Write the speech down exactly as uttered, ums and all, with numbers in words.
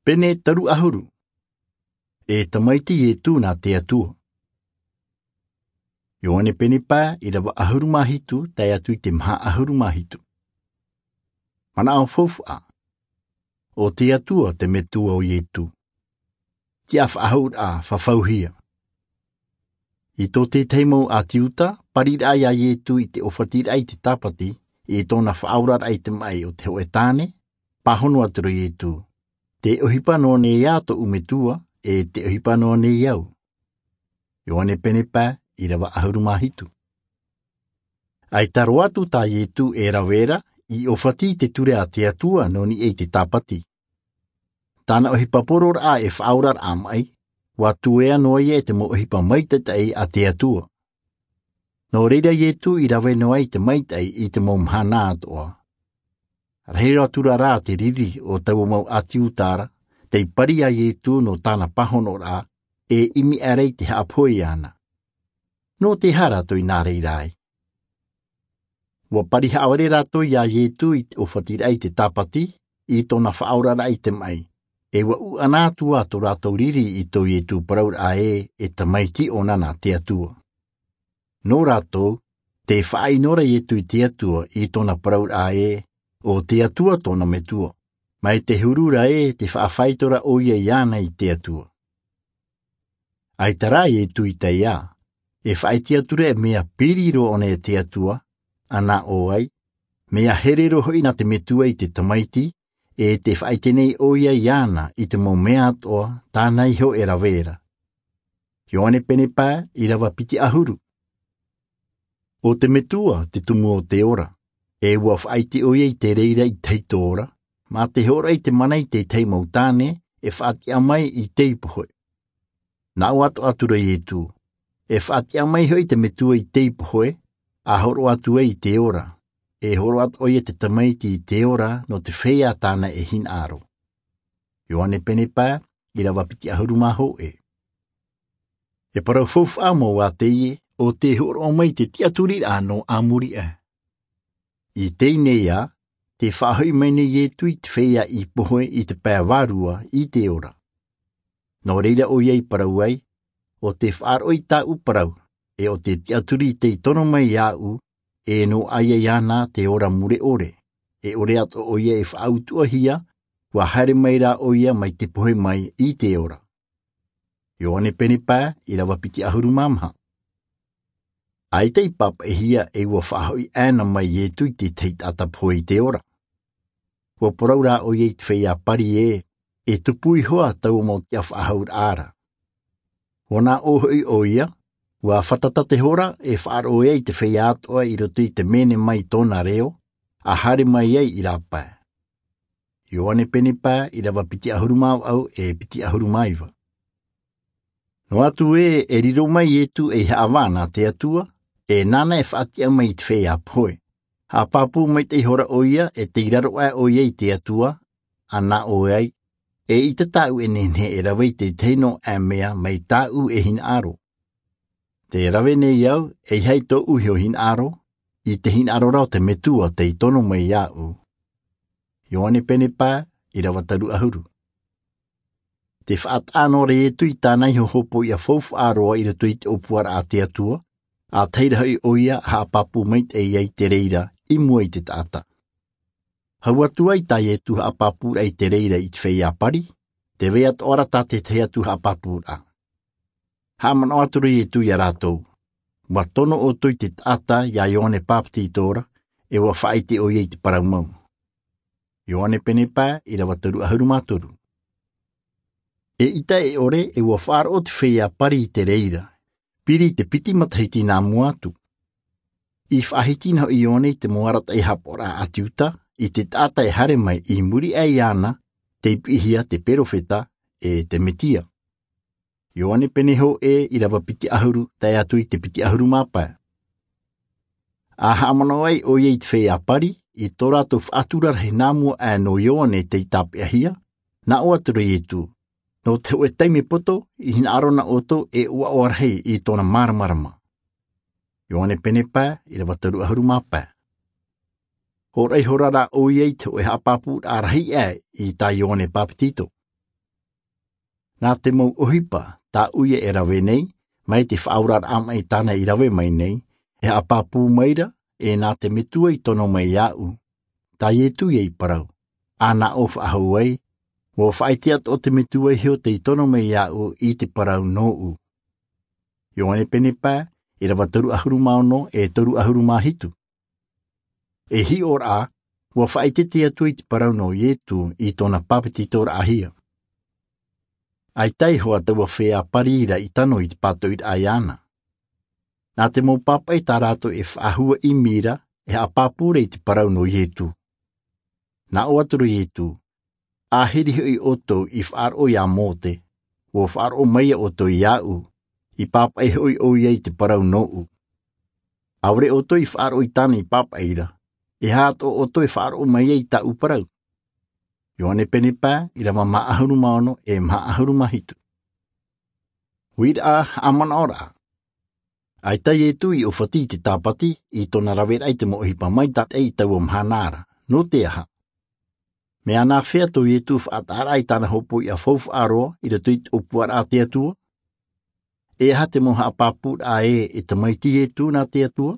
Pene toru ʻahuru. E tamaiti Ietu nā te Atua. Ioane pene pae, ʻirava ʻahuru mā hitu, tae atu i te maha ʻahuru mā hitu. Manaʻo faufaʻa. ʻO te Atua te Metua o Ietu. Tiʻa faʻahou ra, fafauhia. I tō te tahi mau ʻāti Iuta, pariraʻa ia Ietu i te ʻōfatiraʻa i te tāpati, i tōna faʻaoraraʻa i te maʻi o te hōʻē tāne, pāhono atu ra Ietu. Te ʻohipa noa nei ā tōʻu Metua, e te ʻohipa noa nei au. Ioane pene pae, ʻirava ʻahuru mā hitu. ʻAita roa atu tā Ietu e rave ra, i ʻōfati i te ture a te Atua nō niʻa i te tāpati. Tāna ʻohipa pororaʻa e faʻaoraraʻa maʻi, ʻua tuea noa ia e te mau ʻohipa maitaʻi a te Atua. Nō reira Ietu i rave noa i te maitaʻi i te mau mahana atoʻa. Rahi roa atu ra rā te riri o taua mau ʻāti Iuta ra, tei pari ia Ietu nō tāna pāhonoraʻa, e ʻimi aʻera i te haʻapohe iāna. Nō te aha rātou i nā reira ai? ʻUa pari haʻavare rātou ia Ietu i te ʻōfatiraʻa i te tāpati, i tōna faʻaoraraʻa i te maʻi. E ʻua ʻuʻana atu ā tō rātou riri i tō Ietu parauraʻa ē, e tamaiti ʻōna nā te Atua. Nō rātou, tē faʻaʻino ra Ietu i te Atua i tōna parauraʻa ē, ʻo te Atua tōna Metua. Mai te huru ra ē, tē faʻafaito ra ʻoia iāna i te Atua. ʻAita rā Ietu i tae ā, e faʻaʻite atu ra e mea piri roa ʻōna e te Atua, ʻa nā ʻō ai, mea here roa hoʻi nā te Metua i te tamaiti, e tē faʻaʻite nei ʻoia iāna i te mau mea atoʻa, tāna iho e rave ra. Ioane pene pae, ʻirava piti ʻahuru. ʻO te Metua te tumu o te ora, e ʻua faʻaʻite ʻoia i te reira i te tahito ora, mā te hōroʻa i te mana i te tahi mau tāne, e faʻatiʻa mai i teie pohe. Nā ʻō atoʻa atu ra Ietu, e faʻatiʻa mai hoʻi te Metua i teie pohe, ʻa hōroʻa atu ai i te ora, e hōroʻa atoʻa ʻoia te tamaiti i te ora nō te feiā tāna e hinaʻaro. Ioane pene pae, ʻirava piti ʻahuru mā hōʻē. E parau faufaʻa mau ā teie, ʻo tē hōroʻa mai te tiʻaturiraʻa nō ā muri aʻe. I teie nei ā, tē faʻahoʻi mai nei Ietu i te feiā i pohe i te pae vārua i te ora. Nō reira ʻoia i parau ai, ʻo tē faʻaroʻo i tāʻu parau, e ʻo tē tiʻaturi tei tono mai iāʻu, e nō ʻoia iāna te ora mure ʻore, e ʻore atoʻa ʻoia e faʻautuʻahia, ʻua haere mai rā ʻoia mai te pohe mai i te ora. Ioane pene pae, ʻirava piti ʻahuru mā maha. ʻAita i pāpaʻihia e ʻua faʻahoʻi ʻāna mai Ietu i te tahi taʻata pohe i te ora. ʻUa parau rā ʻoia i te feiā pari ē, e tupu iho ā taua mau tiʻa faʻahouraʻa ra. ʻUa nā ʻō hoʻi ʻoia, ʻua fātata te hora e faʻaroʻo ai i te feiā atoʻa i roto i te mene mai tōna reo, ʻa haere mai ai i rāpae. Ioane pene pae, ʻirava piti ʻahuru mā vaʻu e piti ʻahuru mā iva. Noa atu ē, e riro mai Ietu ei haʻavā nā te Atua, e nāna e faʻatiʻa mai i te feiā pohe. Haʻapāpū maitaʻi ihora ʻoia, e tei raro aʻe ʻoia i te Atua, ʻa nā ʻō ai, eʻita tāʻu e nehenehe e rave i te tahi noa aʻe mea mai tāʻu e hinaʻaro. Tē rave nei au, ʻeiaha i tōʻu iho hinaʻaro, i te hinaʻaro ra o te Metua tei tono mai iāʻu. Ioane pene pae, ʻirava toru ʻahuru. Tē faʻataʻa noa ra Ietu i tāna iho hopoiʻa faufaʻa roa i roto i te ʻōpuaraʻa a te Atua, ʻa tahi ra hoʻi ʻoia ʻa haʻapāpū maitaʻi ai te reira i mua i te taʻata. Hau atu ai tā Ietu haʻapāpūraʻa i te reira i te feiā pari, tē vai atoʻa ra tā te tahi atu haʻapāpūraʻa. Haʻamanaʻo atu ra Ietu ia rātou, ʻua tono ʻoutou i te taʻata ia Ioane Papetito ra, e ʻua faʻaʻite ʻoia i te parau mau. Ioane pene pae, ʻirava toru ʻahuru mā toru. Eʻita e ʻore, e ʻua faʻaroʻo te feiā pari i te reira, piri i te piti matahiti nā mua atu. I faʻahiti na hoʻi Ioane i te mau arataʻi haʻapaʻoraʻa ʻāti Iuta, i te taʻata e haere mai i muri aʻe iāna, tei piʻihia te perofeta, e te Metia. Ioane pene hōʻē, ʻirava piti ʻahuru, tae atu i te piti ʻahuru mā pae. ʻA haʻamanaʻo ai ʻoia i te feiā pari, i tō rātou faʻatura rahi nā mua aʻe nō Ioane tei tāpeʻahia, nā ʻō atu ra Ietu, nō te hōʻē taime poto, i hinaʻaro na ʻoutou e ʻoaʻoa rahi i tōna māramarama. Ioane pene pae, ʻirava toru ʻahuru mā pae. Hōroʻa ihora rā ʻoia i te hōʻē haʻapāpūraʻa rahi aʻe i tā Ioane Papetito. Nā te mau ʻohipa tā ʻoia e rave nei, mai te faʻaoraraʻa maʻi tāna i rave mai nei, e haʻapāpū maira, e nā te metua i tono mai iāʻu, tā iesu ia i parau, ʻa nā ʻō faʻahou ai, ua faʻaʻite atoʻa te metua iho tei tono mai iāʻu i te parau nōʻu. Ioane pene pae, ʻirava toru ʻahuru mā ono e toru ʻahuru mā hitu. E hiʻoraʻa, ua faʻaʻite te atua i te parau nō iesu i tōna pāpetitoraʻahia. ʻAita iho ā taua feiā pari ra i tano i te pātoʻiraʻa iāna. Nā te mau pāpaʻi tā rātou e faʻahuaʻimi ra, e haʻapāpū ra i te parau nō iesu. Nā ʻō atu ra iesu, ʻāhiri hoʻi ʻoutou i faʻaroʻo iā mose, ua faʻaroʻo mai ʻoutou iāʻu, i pāpaʻi hoʻi ʻoia i te parau nōʻu. ʻAore ʻoutou i faʻaroʻo i tāna i pāpaʻi ra, e aha atoʻa ʻoutou e faʻaroʻo mai ai i tāʻu parau? Ioane pene pae, ʻirava maha ʻahuru mā ono e maha ʻahuru mā hitu. Uiraʻa, haʻamanaʻoraʻa. ʻAita iesu i ʻōfati i te tāpati, i tōna raveraʻa i te mau ʻohipa maitaʻi i taua mahana ra. Nō te aha? Mea nāfea tō iesu faʻataʻaraʻa i tāna hopoiʻa faufaʻa roa i roto i te ʻōpuaraʻa a te atua? E aha te mau haʻapāpūraʻa ē e tamaiti iesu nā te atua?